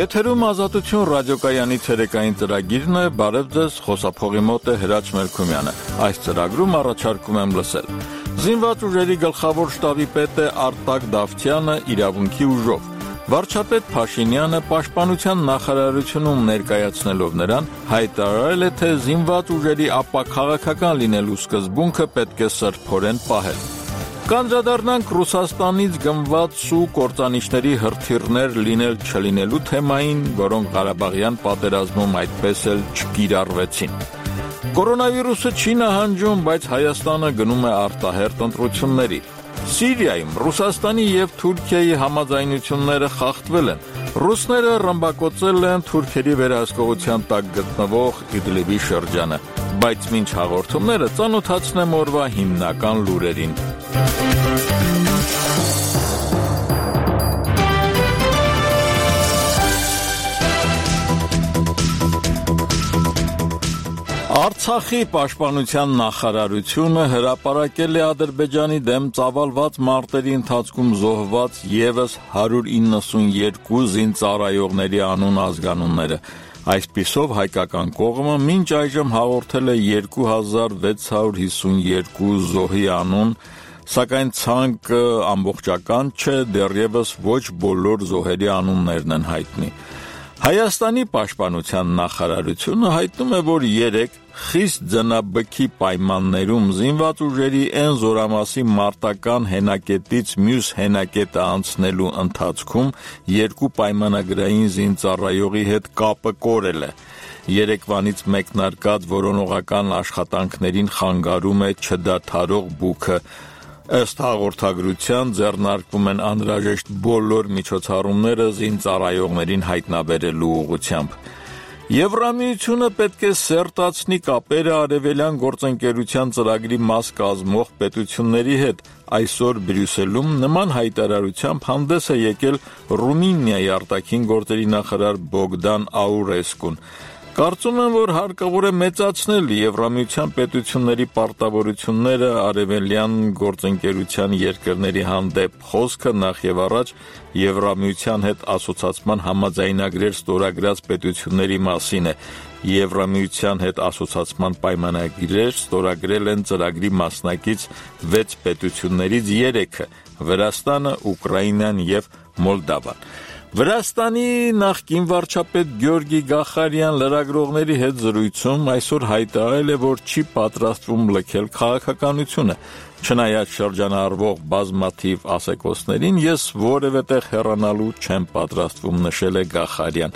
Եթերում Ազատություն ռադիոկայանի ցերեկային ծրագիրն է, բարև ձեզ, խոսափողի մոտ է Հրաչ Մելքումյանը։ Այս ծրագրում առաջարկում եմ լսել. Զինված ուժերի գլխավոր շտաբի պետ է Արտակ Դավթյանը իրավունքի ուժով։ Վարչապետ Փաշինյանը պաշտպանության նախարարությունում ներկայացնելով նրան հայտարարել է, թե զինված ուժերի ապաքաղաքական լինելու սկզբունքը պետք է սրբորեն պահել։ Կանդրադառնանք Ռուսաստանից գնված ու կործանիչների հրթիռներ լինել չլինելու թեմային, որոնք Ղարաբաղյան պատերազմում այդպես էլ չկիրառվեցին։ Կորոնավիրուսը չի նահանջում, բայց Հայաստանը գնում է արտահերթ ընտրությունների։ Սիրիայում Ռուսաստանի եւ Թուրքիայի համաձայնությունները խախտվել են։ Ռուսները ռմբակոծել են թուրքերի վերահսկողության տակ գտնվող Իդլիբի շրջանը, բայց մինչ հաղորդումները ծանոթացնեմ օրվա հիմնական լուրերին։ Արցախի պաշտպանության նախարարությունը հրապարակել է Ադրբեջանի դեմ ծավալված մարտերի ընթացքում զոհված ևս 192 զինծառայողների անուն ազգանունները։ Այսպիսով հայկական կողմը մինչ այժմ հաղորդել է 2652 զոհի անուն, սակայն ցանկը ամբողջական չէ, դեռևս ոչ բոլոր զոհերի անուններն են հայտնի։ Հայաստանի պաշտպանության նախարարությունը հայտնում է, որ 3 խիստ ձնաբքի պայմաններում զինված ուժերի այն զորամասի մարտական հենակետից մյուս հենակետը անցնելու ընթացքում 2 պայմանագրային զինծառայողի հետ կապը կորել է։ Երեկվանից մեկնարկած որոնողական աշխատանքներին խանգարում է չդադարող բուքը։ Ըստ հաղորդագրության ձեռնարկվում են անհրաժեշտ բոլոր միջոցառումները զինծառայողներին հայտնաբերելու ուղղությամբ։ Եվրամիությունը պետք է սերտացնի կապերը արևելյան գործընկերության ծրագրի մաս կազմող պետությունների հետ։ Այսօր Բրյուսելում նման հայտարարությամբ հանդես է եկել Ռումինիայի արտաքին գործերի նախարար Բոգդան Աուրեսկուն։ Կարծում եմ, որ հարկավոր է մեծացնել Եվրամիության պետությունների պարտավորությունները արևելյան գործընկերության երկրների հանդեպ։ Խոսքը նախ եւ առաջ Եվրամիության հետ ասոցացման համաձայնագրեր ստորագրած պետությունների մասին է։ Եվրամիության հետ ասոցացման պայմանագրեր ստորագրել են ծրագրի մասնակից 6 պետություններից 3-ը՝ Վրաստանը, Ուկրաինան եւ Մոլդավան։ Վրաստանի նախկին վարչապետ Գյորգի Գախարյան լրագրողների հետ զրույցում այսօր հայտարարել է, որ չի պատրաստվում լքել քաղաքականությունը։ Չնայած շրջանառվող բազմաթիվ ասեկոսներին, ես որևէ տեղ հեռանալու չեմ պատրաստվում, նշել է Գախարյան։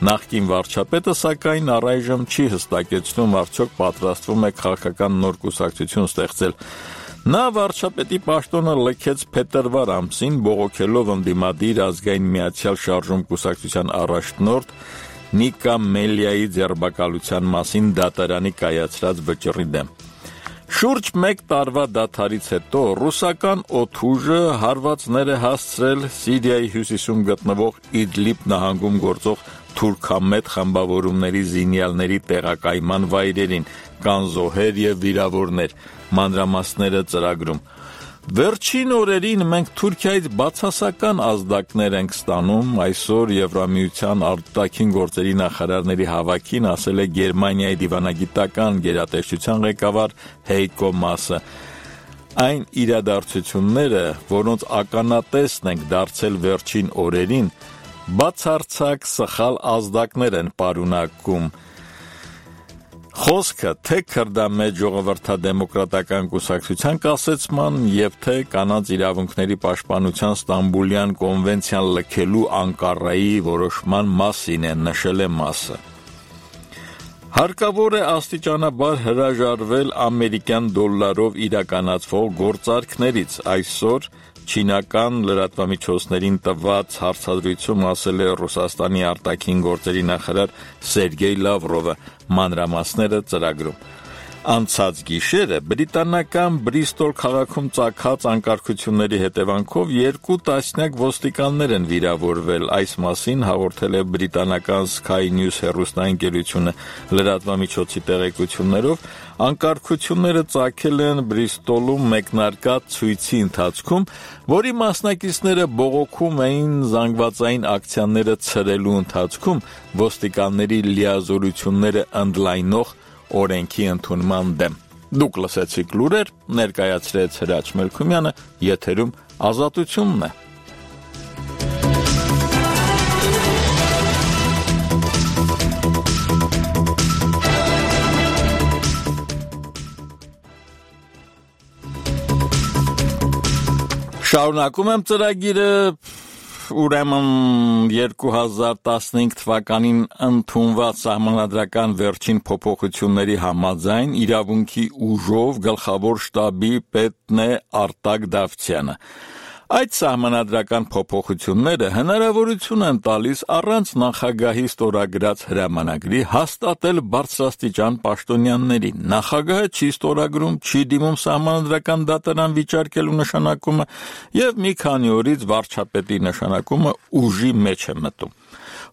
Նախկին վարչապետը, սակայն, առայժմ չի հստակեցնում, արդյոք պատրաստվում է քաղաքական նոր կուսակցություն ստեղծել։ Նա վարչապետի պաշտոնը լքեց փետրվար ամսին, բողոքելով ընդդիմադիր ազգային միացյալ շարժում կուսակցության առաջնորդ Նիկա Մելիայի ձերբակալության մասին դատարանի կայացրած վճռի դեմ։ Շուրջ 1 տարվա դադարից հետո ռուսական օդուժը հարվածներ է հասցրել Սիրիայի հյուսիսում գտնվող Իդլիբ նահանգում գործող թուրքամետ խմբավորումների զինյալների տեղակայման վայրերին, կան զոհեր եւ վիրավորներ, մանրամասները ծրագրում։ Վերջին օրերին մենք Թուրքիայից բացասական ազդակներ ենք ստանում, այսօր Եվրամիության արտաքին գործերի նախարարների հավաքին ասել է Գերմանիայի դիվանագիտական գերատեսչության ղեկավար Հեյկո Մասը։ Այն իրադարձությունները, որոնց ականատեսն ենք դարձել վերջին օրերին, բացարձակ սխալ ազդակներ են պարունակում։ Խոսքը թե քրդամետ ժողովրդադեմոկրատական կուսակցության կասեցման եւ թե կանանց իրավունքների պաշտպանության Ստամբուլյան կոնվենցիան լքելու Անկարայի որոշման մասին է, նշել է Մասը։ Հարկավոր է աստիճանաբար հրաժարվել ամերիկյան դոլարով իրականացվող գործարքներից։ Այսօր չինական լրատվամիջոցներին տված հարցազրույցում ասել է Ռուսաստանի արտաքին գործերի նախարար Սերգեյ Լավրովը, մանրամասները ծրագրում։ Անցած գիշերը բրիտանական Բրիստոլ քաղաքում ծագած անկարգությունների հետևանքով 2 տասնյակ ոստիկաններ են վիրավորվել, այս մասին հաղորդել է բրիտանական Sky News հեռուստաընկերությունը լրատվամիջոցի տեղեկություններով, անկարգությունները ծագել են Բրիստոլում մեկնարկած ցույցի ընթացքում, որի մասնակիցները բողոքում էին զանգվածային ակցիաները ցրելու ընթացքում ոստիկանների լիազորությունները ընդլայնող օրենքի ընդունման դեմ։ Դուք լսեցիք լուրեր, ներկայացրեց Հրաչ Մելքումյանը, եթերում Ազատությունն է։ Շարունակում եմ ծրագիրը ուրեմն 2015 թվականին ընդունված սահմանադրական վերջին փոփոխությունների համաձայն իրավունքի ուժով գլխավոր շտաբի պետն է Արտակ Դավթյանը։ Այդ սահմանադրական փոփոխությունները հնարավորություն են տալիս առանց նախագահի ստորագրած հրամանագրի հաստատել բարձրաստիճան պաշտոնյաններին։ Նախագահը չի ստորագրում, չի դիմում սահմանադրական դատարան վիճարկելու նշանակումը եւ մի քանի օրից վարչապետի նշանակումը ուժի մեջ է մտում։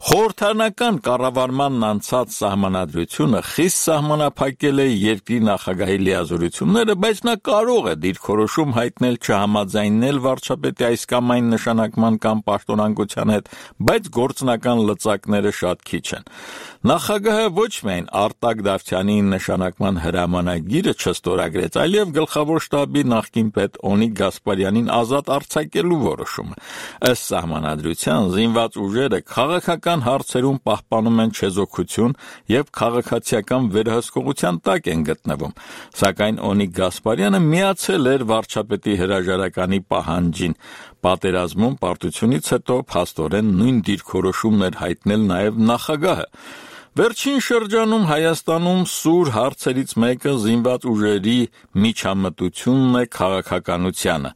Խորհրդարանական կառավարմանն անցած սահմանադրությունը խիստ սահմանափակել է երկրի նախագահի լիազորությունները, բայց նա կարող է դիրքորոշում հայտնել չհամաձայնել վարչապետի այս կամ այն նշանակման կամ պաշտոնանկության հետ, բայց գործնական լծակները շատ քիչ են։ Նախագահը ոչ միայն Արտակ Դավթյանի նշանակման հրամանագիրը չստորագրեց, այլև գլխավոր շտաբի նախկին պետ Օնիկ Գասպարյանին ազատ արձակելու որոշումը։ Ըստ սահմանադրության զինված ուժերը քաղաքական հարցերում պահպանում են չեզոքություն եւ քաղաքացիական վերահսկողության տակ են գտնվում, սակայն Օնիկ Գասպարյանը միացել էր վարչապետի հրաժարականի պահանջին։ Պատերազմում պարտությունից հետո փաստորեն նույն դիրքորոշումն էր հայտնել նաեւ նախագահը։ Վերջին շրջանում Հայաստանում սուր հարցերից մեկը զինված ուժերի միջամտությունն է քաղաքականությանը։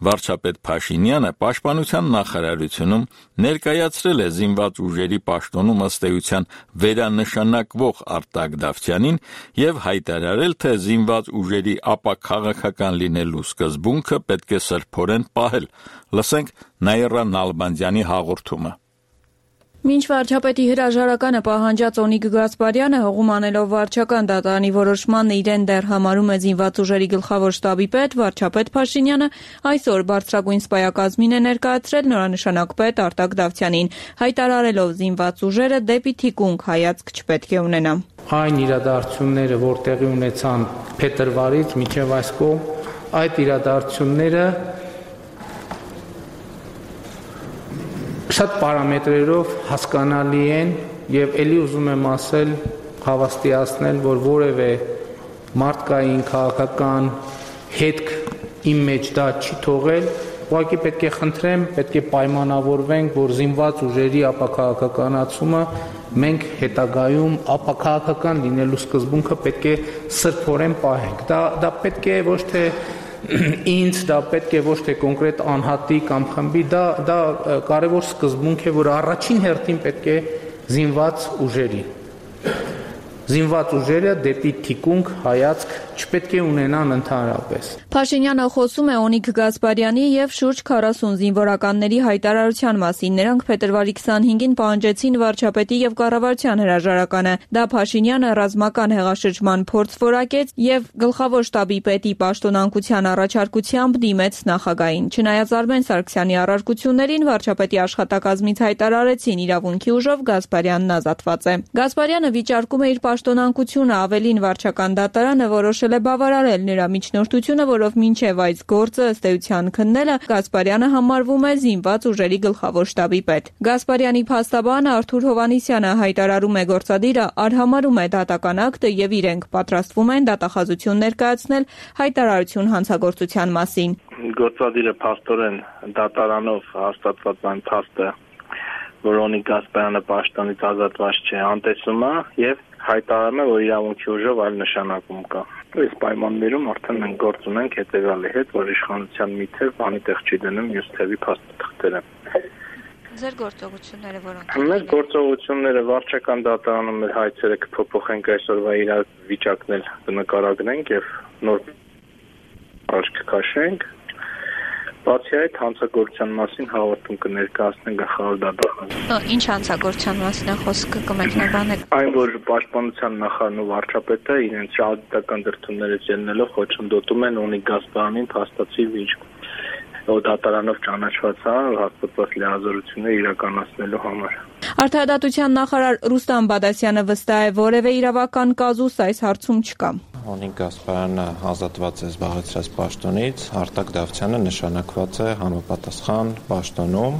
Վարչապետ Փաշինյանը պաշտպանության նախարարությունում ներկայացրել է զինված ուժերի պաշտոնում ըստ էության վերանշանակվող Արտակ Դավթյանին եւ հայտարարել, թե զինված ուժերի ապաքաղաքական լինելու սկզբունքը պետք է սրբորեն պահել։ Լսենք Նաիրա Նալբանդյանի հաղորդումը։ Մինչ վարչապետի հրաժարականը պահանջած Օնիկ Գասպարյանը հողում անելով վարչական դատարանի որոշմանն իրեն դեռ համարում է զինված ուժերի գլխավոր շտաբի պետ, վարչապետ Փաշինյանը այսօր բարձրագույն սպայակազմին է ներկայացրել նորանշանակ պետ Արտակ Դավթյանին, հայտարարելով զինված ուժերը դեպի թիկունք հայացք չպետք է ունենա։ Այն իրադարձությունները, որ տեղի ունեցան փետրվարից մինչև այս կողմ, այդ իրադարձությունները շատ պարամետրերով հասկանալի են եւ ելի ուզում եմ ասել, հավաստիացնել, որ որևէ մարդկային քաղաքական հետք իմ մեջ դա չի թողել, ուղղակի պետք է խնդրեմ, պետք է պայմանավորվենք, որ զինված ուժերի ապաքաղաքականացումը մենք հետագայում ապաքաղաքական լինելու սկզբունքը պետք է սրբորեն պահենք։ Դա պետք է ոչ թե ինձ, դա պետք է ոչ թե կոնկրետ անհատի կամ խմբի, դա կարևոր սկզբունք է, որ առաջին հերթին պետք է զինված ուժերը դեպի թիկունք հայացք չպետք է ունենան ընդհանրապես։ Փաշինյանը խոսում է Օնիկ Գասպարյանի եւ շուրջ 40 զինվորականների հայտարարության մասին։ Նրանք փետրվարի 25-ին պահանջեցին վարչապետի եւ կառավարության հրաժարականը։ Դա Փաշինյանը ռազմական հեղաշրջման փորձ որակեց եւ գլխավոր շտաբի պետի պաշտոնանկության առաջարկությամբ դիմեց նախագահին։ Չնայած Արմեն Սարգսյանի առարկություններին, վարչապետի աշխատակազմից հայտարարեցին իրավունքի ուժով Գասպարյանն ազատված է։ Գասպարյանը վիճարկում է իր պաշտոնանկությունը, ավելին վարչական դատարանը որոշել է բավարարել նրա միջնորդությունը, որով մինչև այս գործը ըստ էության քննելը Գասպարյանը համարվում է զինված ուժերի գլխավոր շտաբի պետ։ Գասպարյանի փաստաբան Արթուր Հովհաննիսյանը հայտարարում է գործադիրը արհամարում է դատական ակտը եւ իրենք պատրաստվում են դատախազություն ներկայացնել հայտարարություն հանցագործության մասին։ Գործադիրը փաստորեն դատարանով հաստատված այն փաստը, որ Օնիկ Գասպարյանը պաշտոնից ազատված չէ, անտեսում է եւ հայտարարում է, որ իրավունքի ուժով այլ նշանակում կա։ Այս պայմաններում արդեն մենք գործ ունենք հետեւյալի հետ, որ իշխանության մի թև բանի տեղ չի դնում, մյուս թևի փաստաթղթերը։ Ձեր գործողությունները որոնք։ Մեր գործողությունները վարչական դատարանում մեր հայցերը կփոփոխենք այսօրվա իրավիճակն էլ կնկարագրենք եւ նոր առաջ կքաշենք։ Բացի այդ հանցագործության մասին հաղորդում կներկայացնենք գլխավոր դատարանում։ Ինչ հանցագործության մասին է խոսքը կմեկնաբանեք։ Այն որ պաշտպանության նախարարն ու վարչապետը իրենց շահադիտական դրդումներից ելնելով խոչընդոտում են Օնիկ Գասպարյանին փաստացի վիճ դատարանով ճանաչված հաստատված լիազորությունները իրականացնելու համար։ Արդարադատության նախարար Ռուստամ Բադասյանը վստահ է, որևէ իրավական կազուս այս հարցում չկա։ Օնիկ Գասպարյանը ազատված է զբաղեցրած պաշտոնից, Արտակ Դավթյանը նշանակված է համապատասխան պաշտոնում։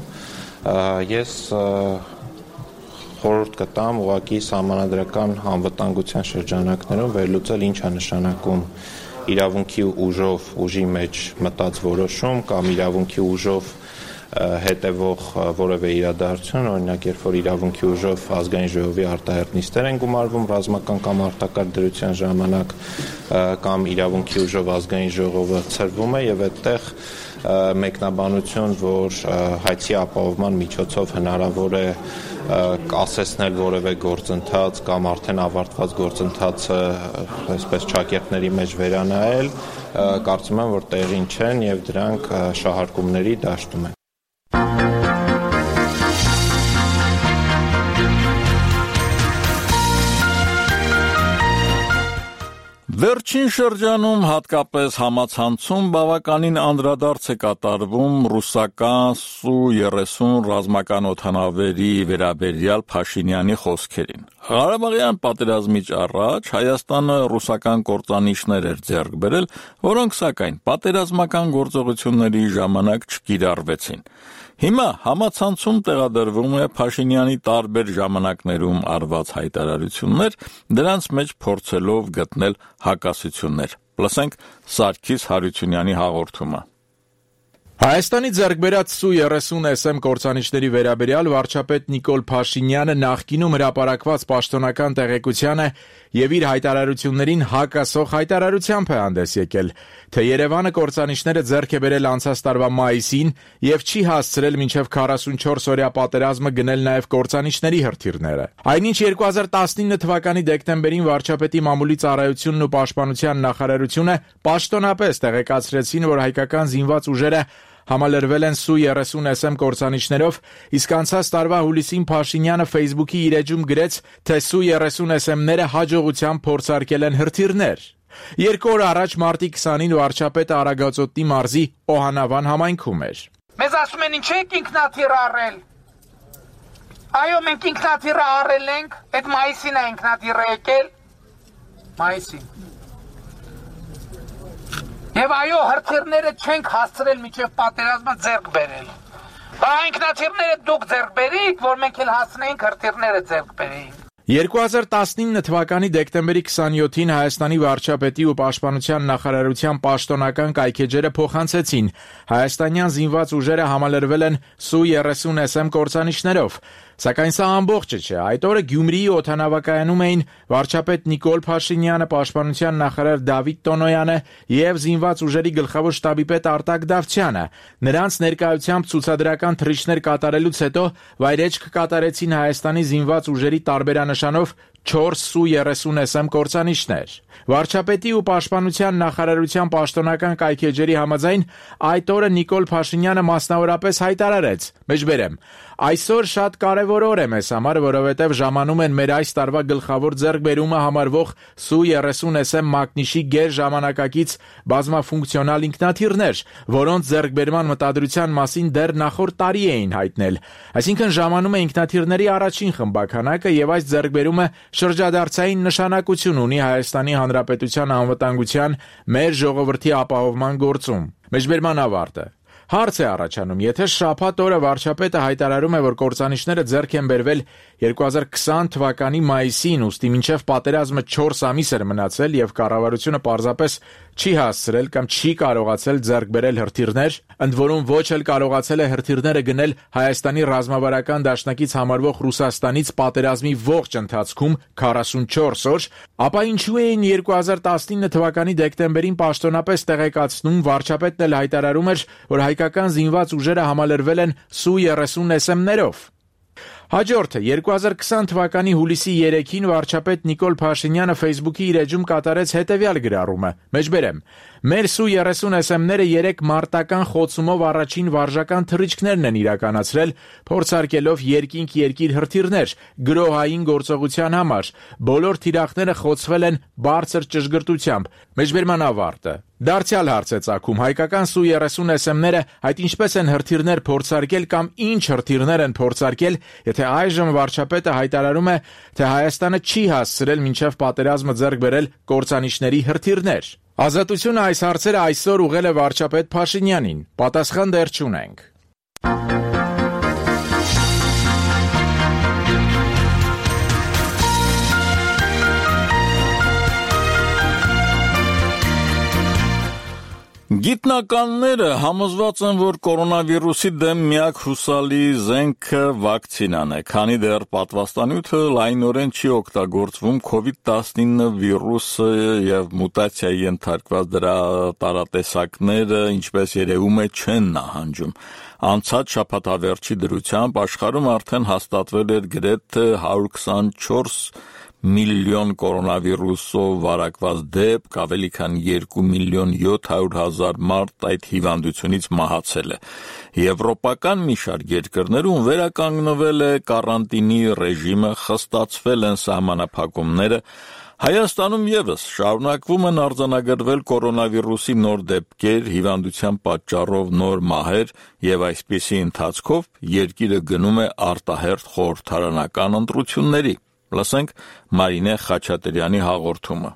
Ես խորհուրդ կտամ ուղղակի սահմանադրական անվտանգության շրջանակներում վերլուծել ինչ է նշանակում իրավունքի ուժով ուժի մեջ մտած որոշում կամ իրավունքի ուժով հետևող որևէ իրադարձություն, օրինակ երբ որ իրավունքի ուժով ազգային ժողովի արտահերթ նիստեր են գումարվում ռազմական կամ արտակարգ դրության ժամանակ կամ իրավունքի ուժով ազգային ժողովը ցրվում է եւ այդտեղ մեկնաբանություն, որ հայցի ապահովման միջոցով հնարավոր է կասեցնել որևէ գործընթաց կամ արդեն ավարտված գործընթացը այսպես ճակերտների մեջ վերանայել, կարծում եմ, որ տեղին չեն եւ դրանք շահարկումների դաշտում են։ Վերջին շրջանում հատկապես համացանցում բավականին անդրադարձ է կատարվում ռուսական Սու-30 ռազմական օդանավերի վերաբերյալ Փաշինյանի խոսքերին։ Ղարաբաղյան պատերազմից առաջ Հայաստանը ռուսական կործանիչներ էր ձեռք բերել, որոնք սակայն պատերազմական գործողությունների ժամանակ չկիրառվեցին։ Հիմա համացանցում տեղադրվում է Փաշինյանի տարբեր ժամանակներում արված հայտարարություններ, դրանց մեջ փորձելով գտնել հակասություններ։ Լսենք Սարգիս Հարությունյանի հաղորդումը։ Հայաստանի ձեռք բերած Սու-30 SM կործանիչների վերաբերյալ վարչապետ Նիկոլ Փաշինյանը նախկինում հրապարակված պաշտոնական տեղեկությանը եւ իր հայտարարություններին հակասող հայտարարությամբ է հանդես եկել, թե Երևանը կործանիչները ձեռք է բերել անցած տարվա մայիսին եւ չի հասցրել մինչեւ 44-օրյա պատերազմը գնել նաեւ կործանիչների հրթիռները։ Այնինչ 2019 թվականի դեկտեմբերին վարչապետի մամուլի ծառայությունն ու պաշտպանության նախարարությունը պաշտոնապես տեղեկացրեցին, որ հայկական զինված ուժերը համալրվել են Սու-30 SM կործանիչներով, իսկ անցած տարվա հուլիսին Փաշինյանը Facebook-ի իր էջում գրեց, թե Սու-30 SM-ները հաջողությամբ փորձարկել են հրթիռներ։ 2 օր առաջ մարտի 20-ին վարչապետը Արագածոտնի մարզի Օհանավան համայնքում էր։ Մեզ ասում են ինչ եք ինքնաթիռ առել։ Այո, մենք ինքնաթիռը առել ենք, այդ մայիսին է ինքնաթիռը եկել։ Մայիսին։ Եվ այո, հրթիռները չենք հասցրել մինչև պատերազմը ձեռք բերել։ Բա ինքնաթիռները դուք ձեռք բերիք, որ մենք էլ հասնեինք հրթիռները ձեռք բերեինք։ 2019 թվականի դեկտեմբերի 27-ին Հայաստանի վարչապետի ու պաշտպանության նախարարության պաշտոնական կայքեջերը փոխանցեցին։ Հայաստանյան զինված ուժերը համալրվել են Սու-30 SM կործանիչներով։ Սակայն սա ամբողջը չէ։ Այդ օրը Գյումրիի օդանավակայանում էին վարչապետ Նիկոլ Փաշինյանը, պաշտպանության նախարար Դավիթ Տոնոյանը եւ զինված ուժերի գլխավոր շտաբի պետ Արտակ Դավթյանը։ Նրանց ներկայությամբ ցուցադրական թռիչքներ կատարելուց հետո վայրեջք կատարեցին Հայաստանի զինված ուժերի տարբերանշանով 4 Սու-30 SM կործանիչներ։ Վարչապետի ու պաշտպանության նախարարության պաշտոնական կայքեջերի համաձայն այդ օրը Նիկոլ Փաշինյանը մասնավորապես հայտարարեց. Մեջբերեմ, այսօր շատ կարևոր օր է մեզ համար, որովհետև ժամանում են մեր այս տարվա գլխավոր ձեռքբերումը համարվող Սու-30 SM մակնիշի գեր ժամանակակից բազմաֆունկցիոնալ ինքնաթիռներ, որոնց ձեռքբերման մտադրության մասին դեռ նախորդ տարի էին հայտնել։ Այսինքն ժամանում է ինքնաթիռների առաջին խմբականակը եւ այս ձեռքբերումը շրջադարձային նշանակություն ունի Հայաստանի Հանրապետության անվտանգության մեր ժողովրդի ապահովման գործում։ Մեջբերման ավարտը։ Հարց է առաջանում, եթե շաբաթ օրը վարչապետը հայտարարում է, որ կործանիչները ձեռք են բերվել 2020 թվականի մայիսին, ուստի մինչև պատերազմը 4 ամիս էր մնացել եւ կառավարությունը պարզապես չի հասցրել կամ չի կարողացել ձեռք բերել հրթիռներ, ընդ որում ոչ էլ կարողացել է հրթիռները գնել Հայաստանի ռազմավարական դաշնակից համարվող Ռուսաստանից պատերազմի ողջ ընթացքում 44 օր, ապա ինչու էին 2019 թվականի դեկտեմբերին պաշտոնապես տեղեկացնում, վարչապետն էլ հայտարարում էր, որ հայկական զինված ուժերը համալրվել են Su-30 SM-ներով։ Հաջորդը 2020 թվականի հուլիսի 3-ին վարչապետ Նիկոլ Փաշինյանը Facebook-ի իր էջում կատարեց հետևյալ գրառումը. Մեջբերեմ. Մեր Su-30 SM-ները 3 մարտական խոցումով առաջին վարժական թռիչքներն են իրականացրել, փորձարկելով երկինք-երկիր հրթիռներ գրոհային գործողության համար։ Բոլոր թիրախները խոցվել են բարձր ճշգրտությամբ։ Մեջբերման ավարտը։ Դարձյալ հարց է ծագում, հայկական Su-30 SM-ները այդ ինչպես են հրթիռներ փորձարկել կամ ինչ հրթիռներ են փորձարկել, եթե այժմ վարչապետը հայտարարում է, թե Հայաստանը չի հասցրել մինչև պատերազմը ձեռք բերել կործանիչների հրթիռներ։ Ազատությունը այս հարցերը այսօր ուղղել է վարչապետ Փաշինյանին։ Պատասխան դեռ չունենք։ Գիտնականները համոզված են, որ կորոնավիրուսի դեմ միակ հուսալի զենքը վակցինան է, քանի դեռ պատվաստանյութը լայնորեն չի օգտագործվում COVID-19 վիրուսը եւ մուտացիայի ենթարկված դրա տարատեսակները, ինչպես երևում է, չեն նահանջում։ Անցած շաբաթավերջի դրությամբ աշխարհում արդեն հաստատվել էր գրեթե 124 միլիոն կորոնավիրուսով վարակված դեպք, ավելի քան 2 միլիոն 700 հազար մարդ այդ հիվանդությունից մահացել է։ Եվրոպական մի շարք երկրներում վերականգնվել է կարանտինի ռեժիմը, խստացվել են սահմանափակումները, Հայաստանում ևս շարունակվում են արձանագրվել կորոնավիրուսի նոր դեպքեր, հիվանդության պատճառով նոր մահեր եւ այսպիսի ընթացքով երկիրը գնում է արտահերթ խորհրդարանական ընտրությունների։ Լսենք Մարինե Խաչատրյանի հաղորդումը։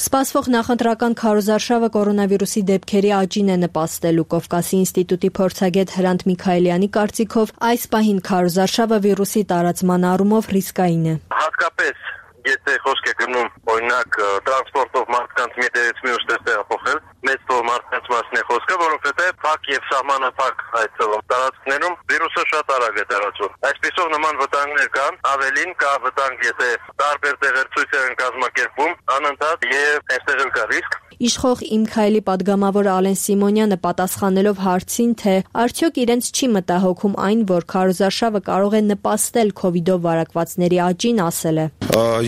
Սպասվող նախընտրական քարոզարշավը կորոնավիրուսի դեպքերի աճին է նպաստելու։ Կովկասի ինստիտուտի փորձագետ Հրանտ Միքայելյանի կարծիքով այս պահին քարոզարշավը վիրուսի տարածման առումով ռիսկային է։ Հատկապես եթե խոսք է գնում օրինակ տրանսպորտով մարդկանց մի տեղից մյուս տեղ տեղափոխել, մեծ թվով մարդկանց մասին է խոսքը, որովհետև փակ եւ սահմանափակ այդ տարածքներում վիրուսը շատ արագ է տարածվում։ Այսպիսով նման վտանգներ կան, ավելին կա վտանգ, եթե տարբեր տեղեր ցույցեր են կազմակերպում, անընդհատ եւ այստեղ էլ կա ռիսկ։ Իշխող Իմ Քայլի падգամավոր Ալեն Սիմոնյանը պատասխանելով հարցին, թե արդյոք իրենց չի մտահոգում այն, որ քարոզարշավը կարող է նպաստել COVID-ով վարակվածների աճին, ասել է.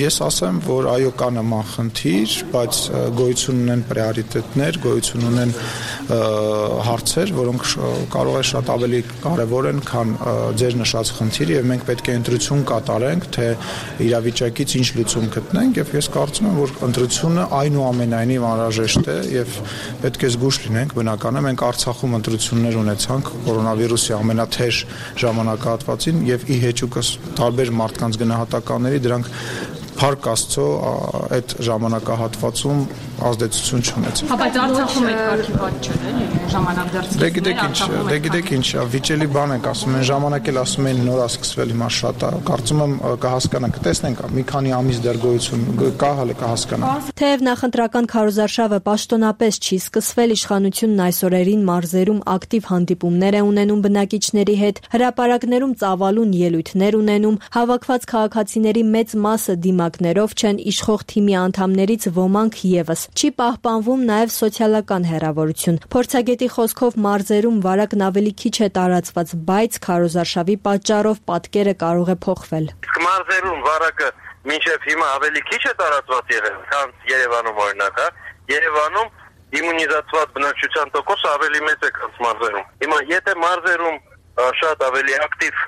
Ես ասեմ, որ այո, կա նման խնդիր, բայց գոյություն ունեն պրիորիտետներ, գոյություն ունեն հարցեր, որոնք կարող է շատ ավելի կարևոր են, քան ձեր նշած խնդիրը, եւ մենք պետք է ընտրություն կատարենք, թե իրավիճակից ինչ լուծում գտնենք, եւ ես կարծում եմ, որ ընտրությունը այնուամենայնիվ անհրաժեշտ է եւ պետք է զգուշ լինենք, բնական է, մենք Արցախում ընտրություններ ունեցանք կորոնավիրուսի ամենաթեժ ժամանակահատվածին եւ ի հեճուկս տարբեր մարդկանց գնահատականների դրանք Փառք Աստծո այդ ժամանակահատվածում ազդեցություն չունեցավ։ Բայց Արցախում այդ կարգի բաց չէ, ժամանակ դարձել։ Դե գիտեք ինչ, վիճելի բան եք ասում, են ժամանակ էլ ասում են նոր է սկսվել, հիմա շատ է։ Կարծում եմ կհասկանանք, տեսնենք, մի քանի ամիս դեռ գոյություն կա, հələ կհասկանանք։ Թեև նախընտրական քարոզարշավը պաշտոնապես չի սկսվել, իշխանությունն այս օրերին մարզերում ակտիվ հանդիպումներ է ունենում բնակիչների հետ, հրապարակներում ծավալուն ելույթներ ունենում, հավաքված քաղաքացիների մեծ մասը դիմակներով չեն, իշխող թիմի անդամներից ոմանք ևս։ Չի պահպանվում նաև սոցիալական հեռավորություն։ Փորձագետի խոսքով մարզերում վարակն ավելի քիչ է տարածված, բայց քարոզարշավի պատճառով պատկերը կարող է փոխվել։ Մարզերում վարակը մինչև հիմա ավելի քիչ է տարածված եղել, քան Երևանում օրինակ, Երևանում իմունիզացված բնակչության տոկոսը ավելի մեծ է, քան մարզերում։ Հիմա եթե մարզերում շատ ավելի ակտիվ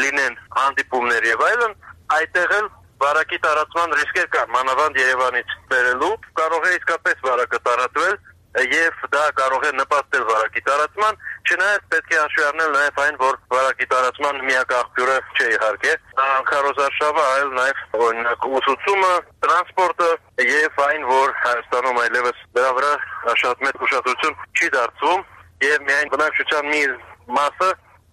լինեն հանդիպումներ եւ այլն, այդտեղ էլ վարակի տարածման ռիսկեր կան, մանավանդ Երևանից բերելու, կարող է իսկապես վարակը տարածվել եւ դա կարող է նպաստել վարակի տարածման, չնայած պետք է հաշվի առնել նաեւ այն, որ վարակի տարածման միակ աղբյուրը չէ իհարկե, քարոզարշավը, այլ նաեւ օրինակ ուսուցումը, տրանսպորտը եւ այն, որ Հայաստանում այլևս դրա վրա շատ մեծ ուշադրություն չի դարձվում եւ միայն բնակչության մի մասը,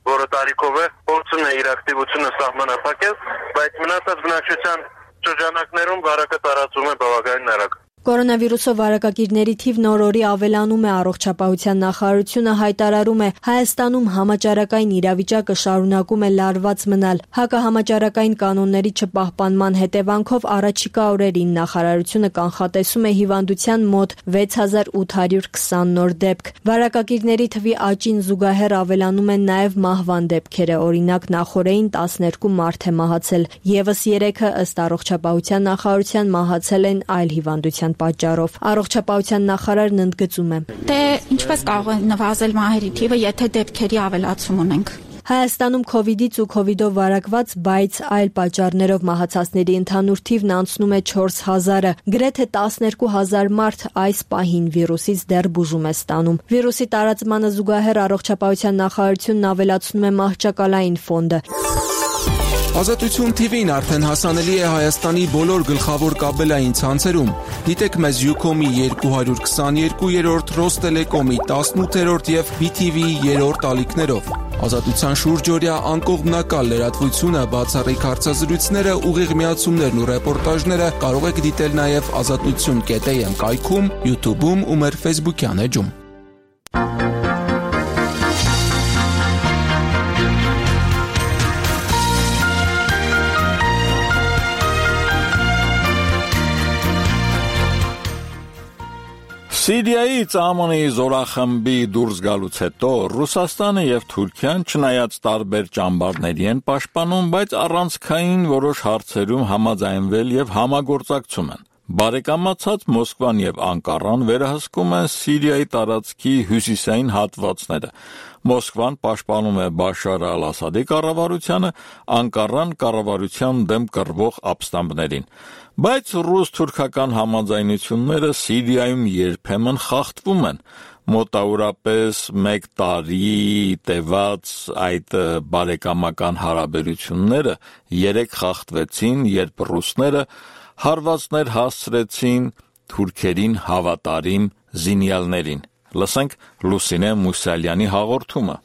որը տարիքով է, փորձում է իր ակտիվությունը սահմանափակել, բայց մնացած բնակչության շրջանակներում վարակը տարածվում է բավականին արագ։ Կորոնավիրուսով վարակագիրների թիվն օր-օրի ավելանում է։ Առողջապահության նախարարությունը հայտարարում է, Հայաստանում համաճարակային իրավիճակը շարունակում է լարված մնալ։ Հակահամաճարակային կանոնների չպահպանման հետևանքով առաջիկա օրերին նախարարությունը կանխատեսում է հիվանդության մոտ 6820 նոր դեպք։ Վարակագիրների թվի աճին զուգահեռ ավելանում են նաև մահվան դեպքերը։ Օրինակ, նախորդին 12 մարդ է մահացել, եւս 3-ը ըստ առողջապահության նախարարության մահացել են այլ հիվանդության պատճառով։ Առողջապահության նախարարն ընդգծում է. Դե ինչպես կարող է նվազել մահերի թիվը, եթե դեպքերի ավելացում ունենք։ Հայաստանում քովիդից ու քովիդով վարակված, բայց այլ պատճառներով մահացածների ընդհանուր թիվն անցնում է 4000-ը։ Գրեթե 12000 մարդ այս պահին վիրուսից դեռ բուժում է ստանում։ Վիրուսի տարածմանը զուգահեռ առողջապահության նախարարությունն ավելացնում է մահճակալային ֆոնդը։ Ազատություն TV-ն արդեն հասանելի է Հայաստանի բոլոր գլխավոր կաբելային ցանցերում։ Դիտեք մեզ Ucom-ի 222-րդ, Ռոստելեկոմի 18-րդ եւ BTV-ի 3-րդ ալիքներով։ Ազատության շուրջօրյա անկողմնակալ լրատվությունը, բացառիկ հարցազրույցները, ուղիղ միացումներն ու ռեպորտաժները կարող եք դիտել նաեւ azatutun.am կայքում, YouTube-ում ու մեր Facebook-յան էջում։ Սիրիայից ԱՄՆ-ի զորախմբի դուրս գալուց հետո Ռուսաստանը եւ Թուրքիան չնայած տարբեր ճամբարների են պաշտպանում, բայց առանցքային որոշ հարցերում համաձայնվել եւ համագործակցում են։ Բարեկամացած Մոսկվան եւ Անկարան վերահսկում են Սիրիայի տարածքի հյուսիսային հատվածները։ Մոսկվան պաշտպանում է Բաշար al-Ասադի կառավարությանը, Անկարան կառավարության դեմ կռվող ապստամբներին։ Բայց ռուս-թուրքական համաձայնությունները Սիրիայում երբեմն խախտվում են։ Մոտավորապես 1 տարի տևած այդ բարեկամական հարաբերությունները 3 խախտվեցին, երբ ռուսները հարվածներ հասցրեցին թուրքերին հավատարիմ զինյալներին։ Լսենք Լուսինե Մուսալյանի հաղորդումը։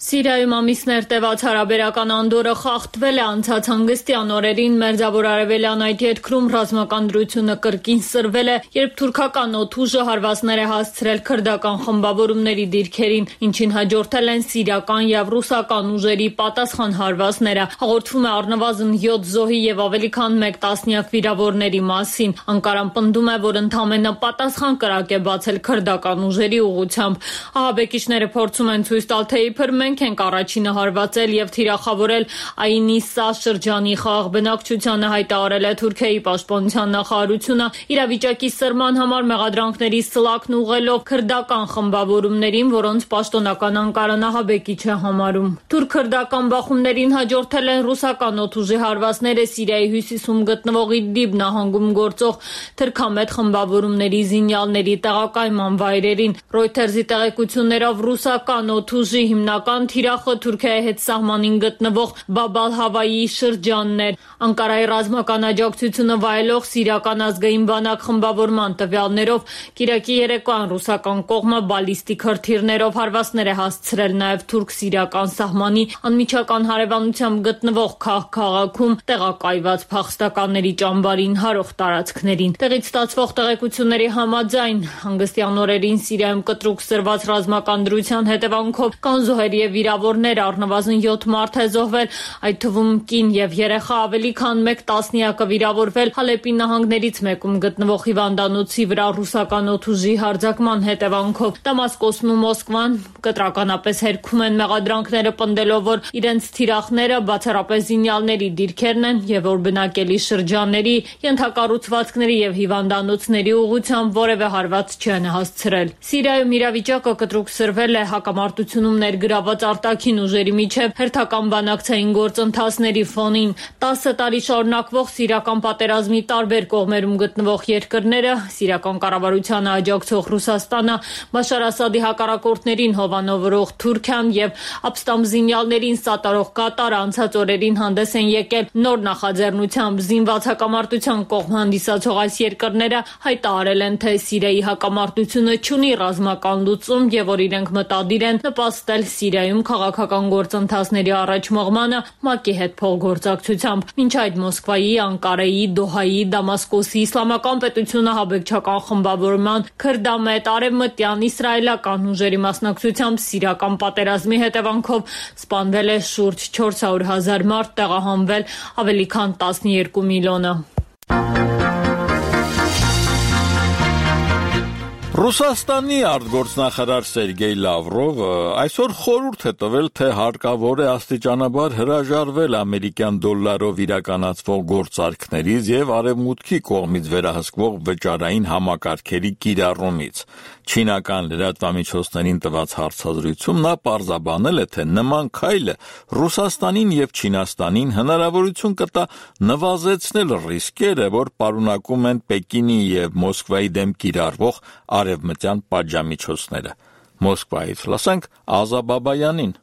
Սիրիայում ամիսներ տևած հարաբերական անդորը խախտվել է անցած հանգստյան օրերին մերձավոր արևելյան այդ երկրում ռազմական դրությունը կրկին սրվել է, երբ թուրքական օդուժը հարվածներ է հասցրել քրդական խմբավորումների դիրքերին, ինչին հաջորդել են սիրիական եւ ռուսական ուժերի պատասխան հարվածները։ Հաղորդվում է առնվազն 7 զոհի եւ ավելի քան 1 տասնյակ վիրավորների մասին։ Անկարան պնդում է, որ ընդամենը պատասխան կրակ է բացել քրդական ուժերի ուղղությամբ։ Ահաբեկիչները փորձում են ցույց տալ, թե իբր մենք ենք առաջինը հարվածել եւ թիրախավորել Այնիսա շրջանի խաղաղ բնակչությանը, հայտարարել է Թուրքիայի պաշտպանության նախարարությունը իրավիճակի սրման համար մեղադրանքների սլաքն ուղղելով քրդական խմբավորումներին, որոնց պաշտոնական Անկարան ահաբեկիչ է համարում։ Թուրք-քրդական բախումներին հաջորդել են ռուսական օդուժի հարվածները Սիրիայի հյուսիսում գտնվող Իդլիբ նահանգում գործող թրքամետ խմբավորումների զինյալների տեղակայման վայրերին։ Reuters-ի տեղեկություններով ռուսական օդուժի հիմնական թիրախը Թուրքիայի հետ սահմանին գտնվող Բաբալ-Հավայի շրջանն էր։ Անկարայի ռազմական աջակցությունը վայելող Սիրիական ազգային բանակ խմբավորման տվյալներով կիրակի երեկոյան ռուսական կողմը բալիստիկ հրթիռներով հարվածներ է հասցրել նաև թուրք-սիրիական սահմանի անմիջական հարևանությամբ գտնվող քաղաքում տեղակայված փախստականների ճամբարին հարող տարածքներին։ Տեղից ստացվող տեղեկությունների համաձայն հանգստյան օրերին Սիրիայում կտրուկ սրված ռազմական դրության հետևանքով կան զոհեր եւ վիրավորներ, առնվազն 7 մարդ է զոհվել, այդ թվում կին եւ երեխա, ավելի քան 1 տասնյակը վիրավորվել Հալեպի նահանգներից մեկում գտնվող հիվանդանոցի վրա ռուսական օդուժի հարձակման հետևանքով։ Դամասկոսն ու Մոսկվան կտրականապես հերքում են մեղադրանքները, պնդելով, որ իրենց թիրախները բացառապես զինյալների դիրքերն են եւ որ բնակելի շրջանների, ենթակառուցվածքների եւ հիվանդանոցների ուղղությամբ որևէ հարված չեն հասցրել։ Սիրիայում իրավիճակը կտրուկ սրվել է հակամարտությունում ներգրաված արտաքին ուժերի միջև հերթական բանակցային գործընթացների ֆոնին։ 10 տարի շարունակվող սիրիական պատերազմի տարբեր կողմերում գտնվող երկրները, սիրիական կառավարությանը աջակցող Ռուսաստանը, Բաշար Ասադի հակառակորդներին հովանավորող Թուրքիան եւ ապստամբ զինյալներին սատարող Կատարը անցած օրերին հանդես են եկել նոր նախաձեռնությամբ զինված հակամարտության կողմ հանդիսացող այս երկրները հայտարարել են, թե Սիրիայի հակամարտությունը չունի ռազմական լուծում եւ որ իրենք մտադիր են նպաստել Սիրիայում Մոսկվայում քաղաքական գործընթացների առաջ մղմանը ՄԱԿ-ի հետ փոխգործակցությամբ։ Մինչ այդ Մոսկվայի, Անկարայի, Դոհայի, Դամասկոսի իսլամական պետությունը հաբեկչական խմբավորման, քրդամետ, արևմտյան, իսրայելական ուժերի մասնակցությամբ սիրիական պատերազմի հետևանքով սպանվել է շուրջ 400,000 մարդ, տեղահանվել ավելի քան 12 միլիոնը։ Ռուսաստանի արտգործնախարար Սերգեյ Լավրովը այսօր խորհուրդ է տվել, թե հարկավոր է աստիճանաբար հրաժարվել ամերիկյան դոլարով իրականացվող գործարքներից եւ արևմուտքի կողմից վերահսկվող վճարային համակարգերի կիրառումից։ Չինական լրատվամիջոցներին տված հարցազրույցում նա պարզաբանել է, թե նման քայլը Ռուսաստանին եւ Չինաստանին հնարավորություն կտա նվազեցնել ռիսկերը, որ պարունակում են Պեկինի եւ Մոսկվայի դեմ կիրառվող արևմտյան պատժամիջոցները։ Մոսկվայից լսենք Ազա Բաբայանին։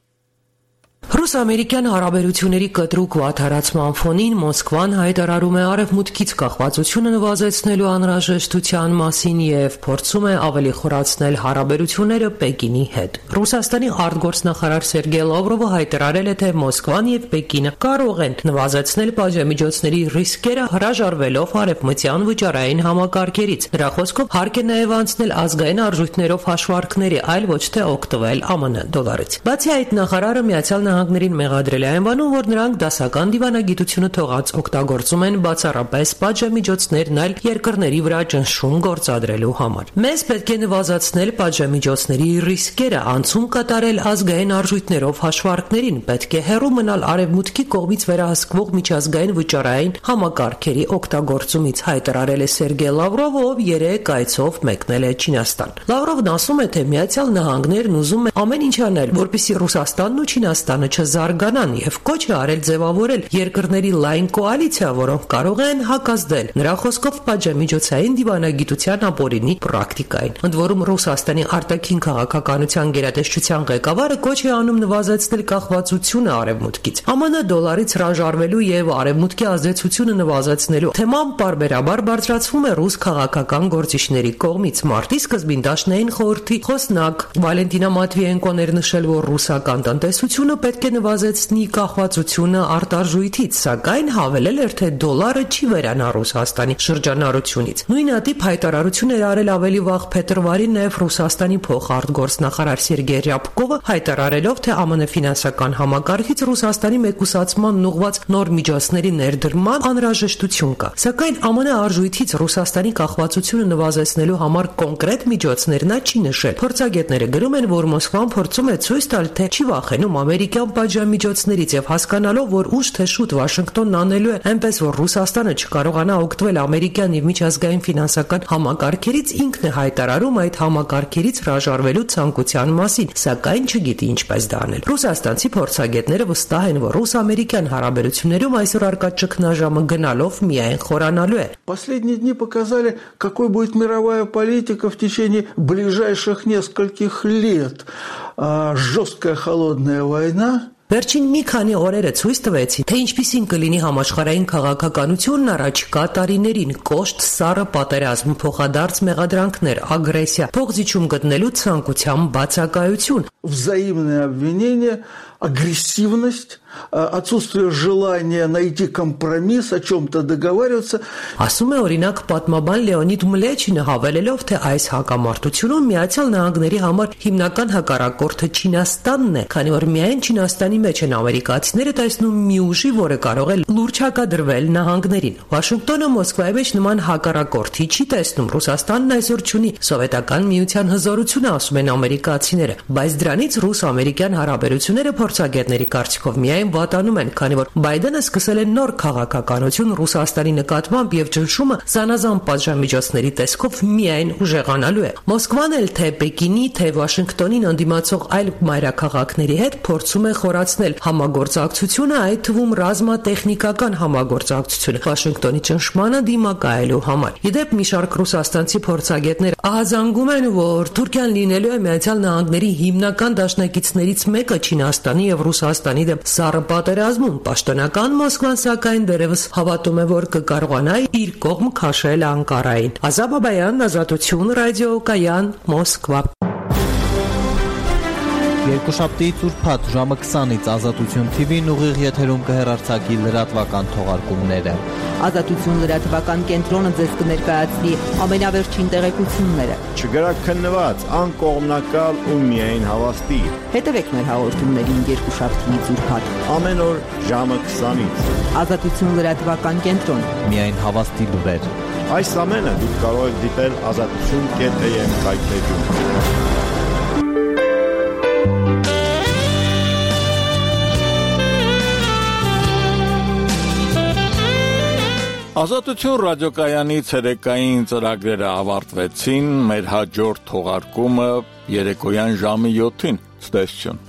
Ռուս-ամերիկյան հարաբերությունների կտրուկ վատթարացման ֆոնին Մոսկվան հայտարարում է արևմուտքից կախվածությունը նվազեցնելու անհրաժեշտության մասին եւ փորձում է ավելի խորացնել հարաբերությունները Պեկինի հետ։ Ռուսաստանի արտգործնախարար Սերգեյ Լավրովը հայտարարել է, թե Մոսկվան եւ Պեկինը կարող են նվազեցնել պատժամիջոցների ռիսկերը հրաժարվելով արևմտյան վճարային համակարգերից։ Նրա խոսքով հարկ է նաեւ անցնել ազգային արժույթներով հաշվարկների, այլ ոչ թե օգտվել ԱՄՆ դոլարից։ Բացի այդ, նախարարը Միացյալ Նահանգներին մեղադրել է այնվանում, որ նրանք դասական դիվանագիտությունը թողած օգտագործում են բացառապես պատժամիջոցներն այլ երկրների վրա ճնշում գործադրելու համար։ Մեզ պետք է նվազեցնել պատժամիջոցների ռիսկերը, անցում կատարել ազգային արժույթներով հաշվարկներին, պետք է հեռու մնալ արևմուտքի կողմից վերահսկվող միջազգային վճարային համակարգերի օգտագործումից, հայտարարել է Սերգեյ Լավրովը, ով երեք այցով մեկնել է Չինաստան։ Լավրովն ասում է, թե Միացյալ Նահանգներն ուզում են ամեն ինչ անել, որպեսզի Ռուսաստանն ու Չինաստանը չզարգանան եւ կոչ է արել ձևավորել երկրների լայն կոալիցիա, որոնք կարող են հակազդել նրա խոսքով պատժամիջոցային դիվանագիտության ապօրինի պրակտիկային։ Ընդ որում Ռուսաստանի արտաքին քաղաքականության գերատեսչության ղեկավարը կոչ է անում նվազեցնել կախվածությունը արևմուտքից։ ԱՄՆ դոլարից հրաժարվելու եւ արևմուտքի ազդեցությունը նվազեցնելու թեման պարբերաբար բարձրացվում է ռուս քաղաքական գործիչների կողմից։ Մարտի սկզբին Դաշնային խորհրդի խոսնակ Վալենտինա Մատվիենկոն էր նշել, որ ռուսական տնտեսությունը պետք է նվազեցնի կախվածությունը արտարժույթից, սակայն հավելել էր, թե դոլարը չի վերանա Ռուսաստանի շրջանառությունից։ Նույն ատիպ հայտարարություն էր արել ավելի վաղ փետրվարին նաև Ռուսաստանի փոխարտգործնախարար Սերգեյ Ռյաբկովը, հայտարարելով, թե ԱՄՆ ֆինանսական համակարգից Ռուսաստանի մեկուսացման ուղղված նոր միջոցների ներդրման անհրաժեշտություն կա։ Սակայն ԱՄՆ արժույթից Ռուսաստանի կախվածությունը նվազեցնելու համար կոնկրետ միջոցներ նա չի նշել։ Փորձագետները գրում են, որ Մոսկվան փորձում է ցույց տալ, թե չի վախենում ամերիկյան պատժամիջոցներից եւ հասկանալով, որ ուշ թե շուտ Վաշինգտոնն անելու է այնպես, որ Ռուսաստանը չկարողանա օգտվել ամերիկյան եւ միջազգային ֆինանսական համակարգերից, ինքն է հայտարարում այդ համակարգերից հրաժարվելու ցանկության մասին, սակայն չգիտի ինչպես դա անել։ Ռուսաստանցի փորձագետները վստահ են, որ ռուս-ամերիկյան հարաբերություններում այսօր արկա ճգնաժամը գնալով միայն խորանալու է։ Последние дни показали, какой будет мировая политика в течение ближайших нескольких лет. Жесткая холодная война. Վերջին մի քանի օրերը ցույց տվեցին, թե ինչպիսին կլինի համաշխարհային քաղաքականությունն առաջիկա տարիներին՝ կոշտ, սառը պատերազմ, փոխադարձ մեղադրանքներ, ագրեսիա, փոխզիջում գտնելու ցանկության բացակայություն, взаимные обвинения, агрессивность, отсутствие желания найти компромисс, о чем-то договариваться. Ասում է օրինակ պատմաբան Լեոնիդ Մլեչինը, հավելելով, թե այս հակամարտությունում Միացյալ Նահանգների համար հիմնական հակառակորդը Չինաստանն է, քանի որ միայն Չինաստանի մեջ են ամերիկացիները տեսնում մի ուժի, որը կարող է լուրջ հակադրվել նահանգներին։ Վաշինգտոնը Մոսկվայի մեջ նման հակառակորդի չի տեսնում։ Ռուսաստանն այսօր չունի սովետական միության հզորությունը, ասում են ամերիկացիները, բայց դրանից ռուս-ամերիկյան հարաբերությունները փորձագետների կարծիքով միայն վատանում են, քանի որ Բայդենը սկսել է նոր քաղաքականություն Ռուսաստանի նկատմամբ եւ ճնշումը զանազան պատժամիջոցների տեսքով միայն ուժեղանալու է։ Մոսկվան էլ թե Պեկինի, թե Վաշինգտոնին ընդդիմացող այլ մայրաքաղաքների հետ փորձում է խորացնել համագործակցությունը, այդ թվում ռազմատեխնիկական համագործակցությունը Վաշինգտոնի ճնշմանը դիմակայելու համար։ Իդեպ մի շարք ռուսաստանցի փորձագետներ ահազանգում են, որ Թուրքիան լինելու է Միացյալ Նահանգների հիմնական դաշնակիցներից մեկը Չինաստանի եւ Ռուսաստանի դեմ սառը պատերազմում։ Պաշտոնական Մոսկվան սակայն դեռևս հավատում է, որ կկարողանա իր կողմ քաշել Անկարային։ Ազա Բաբայան, Ազատություն, ռադիո Կայան, Մոսկվա։ Երկուշաբթիից ուրբաթ ժամը 20-ից Ազատություն TV-ն ուղիղ եթերում կհեռարձակի լրատվական թողարկումները։ Ազատություն լրատվական կենտրոնը ձեզ կներկայացնի ամենավերջին տեղեկությունները։ Չգրաքննված, անկողմնակալ ու միայն հավաստի։ Հետևեք մեր հաղորդումներին երկուշաբթիից ուրբաթ ամեն օր ժամը 20-ից։ Ազատություն լրատվական կենտրոն։ Միայն հավաստի լուրեր։ Այս ամենը դուք կարող եք դիտել azatutun.am կայքէջում։ Ազատություն ռադիոկայանի ցերեկային ծրագրերը ավարտվեցին, մեր հաջորդ թողարկումը երեկոյան ժամը 7-ին։ Ցտեսություն։